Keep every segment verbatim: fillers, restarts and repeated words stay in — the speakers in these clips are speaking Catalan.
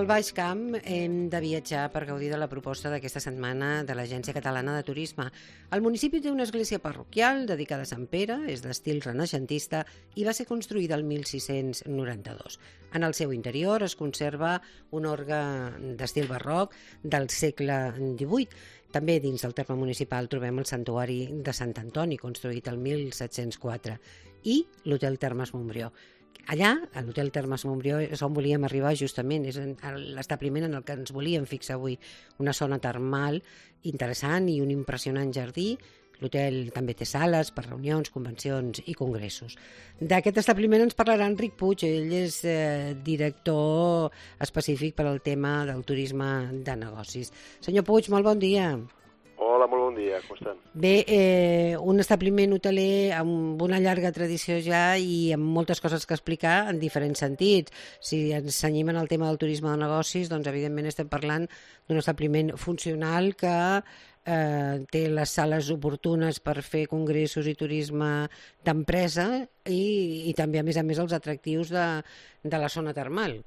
al Baix Camp hem de viatjar per gaudir de la proposta d'aquesta setmana de l'Agència Catalana de Turisme. El municipi té una església parroquial dedicada a Sant Pere, és d'estil renaixentista i va ser construïda el mil sis-cents noranta-dos. En el seu interior es conserva un orgue d'estil barroc del segle divuit. També dins del terme municipal trobem el santuari de Sant Antoni, construït el mil set-cents quatre, i l'Hotel Termes Montbrió. Allà, a l'Hotel Termes Montbrió, és on volíem arribar justament, és l'establiment en el que ens volíem fixar avui, una zona termal interessant i un impressionant jardí. L'hotel també té sales per reunions, convencions i congressos. D'aquest establiment ens parlarà Enric Puig, ell és eh, director específic per al tema del turisme de negocis. Senyor Puig, molt bon dia. Hola, molt bon dia, com estan? Bé, eh, un establiment hoteler amb una llarga tradició ja i amb moltes coses que explicar en diferents sentits. Si ens cenyim en el tema del turisme de negocis, doncs evidentment estem parlant d'un establiment funcional que eh, té les sales oportunes per fer congressos i turisme d'empresa i, i també, a més a més, els atractius de, de la zona termal.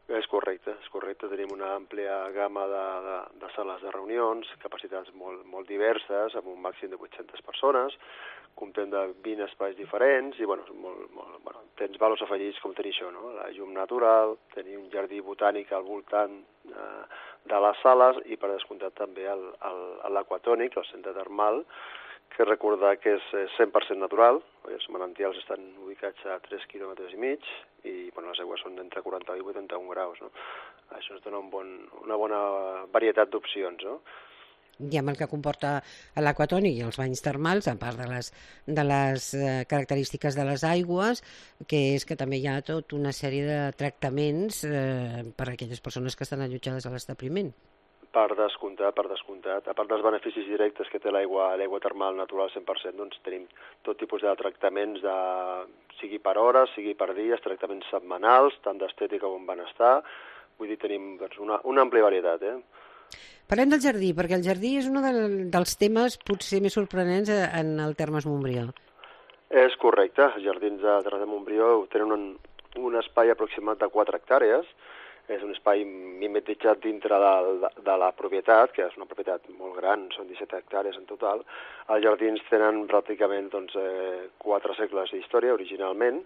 És correcte, és correcte. Tenim una àmplia gamma de, de, de sales de reunions, capacitats molt, molt diverses, amb un màxim de vuit-centes persones, comptem de vint espais diferents i, bueno, molt, molt, bueno, tens valors afegits com tenir això, no? La llum natural, tenir un jardí botànic al voltant eh, de les sales i, per descomptat, també l'aquatònic, el centre termal, que recordar que és cent per cent natural, els manantials estan ubicats a tres quilòmetres i mig i bueno, les aigües són d'entre quaranta i vuitanta-un graus. No? Això ens dona un bon, una bona varietat d'opcions. No? I amb el que comporta l'aquatònic i els banys termals, a part de les, de les eh, característiques de les aigües, que és que també hi ha tota una sèrie de tractaments eh, per a aquelles persones que estan allotjades a l'establiment. Per descomptat, per descomptat. A part dels beneficis directes que té l'aigua l'aigua termal natural cent per cent, doncs tenim tot tipus de tractaments, de, sigui per hores, sigui per dies, tractaments setmanals, tant d'estètica com benestar. Vull dir, tenim doncs, una, una àmplia varietat. Eh? Parlem del jardí, perquè el jardí és un de, dels temes potser més sorprenents en el Termes Montbrió. És correcte. Els jardins de Termes de Montbrió tenen un, un espai aproximat de quatre hectàrees. És un espai mimetitzat dintre de, de, de la propietat, que és una propietat molt gran, són disset hectàrees en total. Els jardins tenen pràcticament doncs, eh, quatre segles d'història, originalment.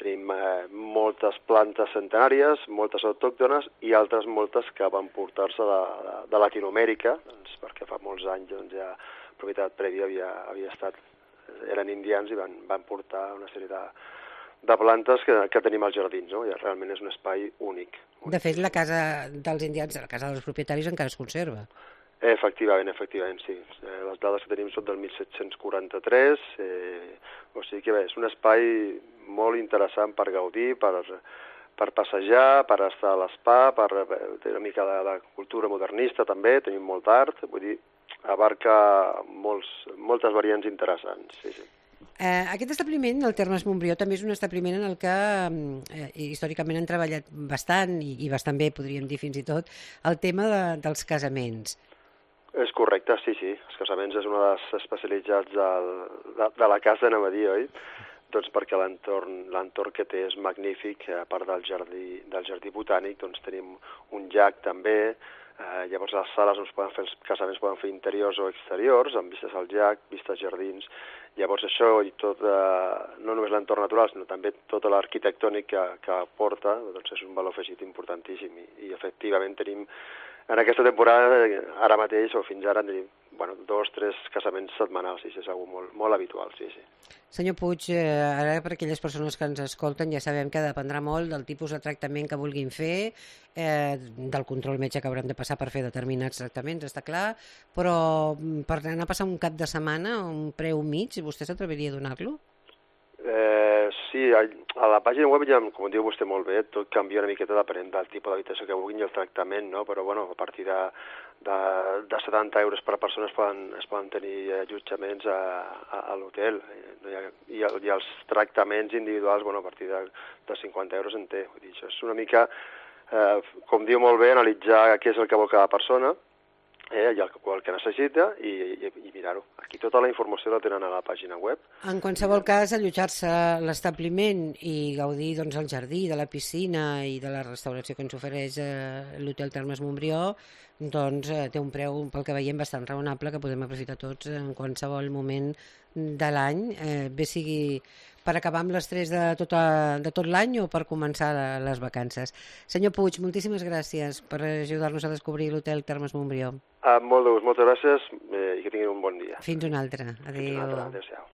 Tenim eh, moltes plantes centenàries, moltes autòctones i altres moltes que van portar-se de, de, de Latinoamèrica, doncs, perquè fa molts anys doncs, ja la propietat prèvia havia, havia estat, eren indians i van, van portar una sèrie de de plantes que, que tenim als jardins, no? I realment és un espai únic. De fet, la casa dels indians, la casa dels propietaris encara es conserva. Efectivament, efectivament, sí. Eh, les dades que tenim són del mil set-cents quaranta-tres, eh, o sigui que bé, és un espai molt interessant per gaudir, per, per passejar, per estar a l'espa, per tenir una mica de, de cultura modernista també, tenim molt art, vull dir, abarca molts, moltes variants interessants, sí, sí. Eh, aquest establiment, el Termes Montbrió, també és un establiment en el que eh, històricament han treballat bastant, i, i bastant bé, podríem dir fins i tot, el tema de, dels casaments. És correcte, sí, sí. Els casaments és una de les especialitats del, de, de la casa, anem a dir, oi? Doncs perquè l'entorn l'entorn que té és magnífic, a part del jardí, del jardí botànic, doncs tenim un llac també. Eh, llavors les sales no es poden fer, els casaments poden fer interiors o exteriors, amb vistes al llac, vistes als jardins. Llavors això i tot, eh, no només l'entorn natural, sinó també tot l'arquitectònic que, que aporta, doncs és un valor afegit importantíssim. I, i efectivament tenim, en aquesta temporada, ara mateix o fins ara, tenim bueno, dos, tres casaments setmanals, i això és una cosa molt, molt habitual, sí, sí. Senyor Puig, eh, ara per aquelles persones que ens escolten ja sabem que dependrà molt del tipus de tractament que vulguin fer, eh, del control metge que hauran de passar per fer determinats tractaments, està clar, però per anar a passar un cap de setmana, un preu mig, vostè s'atreviria a donar-lo? Eh, sí, a, a la pàgina web ja, com diu vostè molt bé, tot canvia una miqueta depenent del tipus d'habitació que vulguin i el tractament, no? Però bueno, a partir de, de, de setanta euros per persona es poden, es poden tenir allotjaments a, a, a l'hotel, I, i, i els tractaments individuals, bueno, a partir de, de cinquanta euros en té. Vull dir, això és una mica, eh, com diu molt bé, analitzar què és el que vol cada persona eh, i el, el que necessita i, i, i mirar-ho. Aquí tota la informació la tenen a la pàgina web. En qualsevol cas, allotjar-se a l'establiment i gaudir doncs, del jardí, de la piscina i de la restauració que ens ofereix eh, l'Hotel Termes Montbrió, doncs eh, té un preu, pel que veiem, bastant raonable que podem aprofitar tots en qualsevol moment de l'any, eh, bé sigui per acabar amb l'estrès de, tota, de tot l'any o per començar les vacances. Senyor Puig, moltíssimes gràcies per ajudar-nos a descobrir l'Hotel Termes Montbrió. Ah, molt de gust, moltes gràcies eh, i que tinguin un bon dia. Fins una altra. Adéu. Fins una altra. Adéu-siau.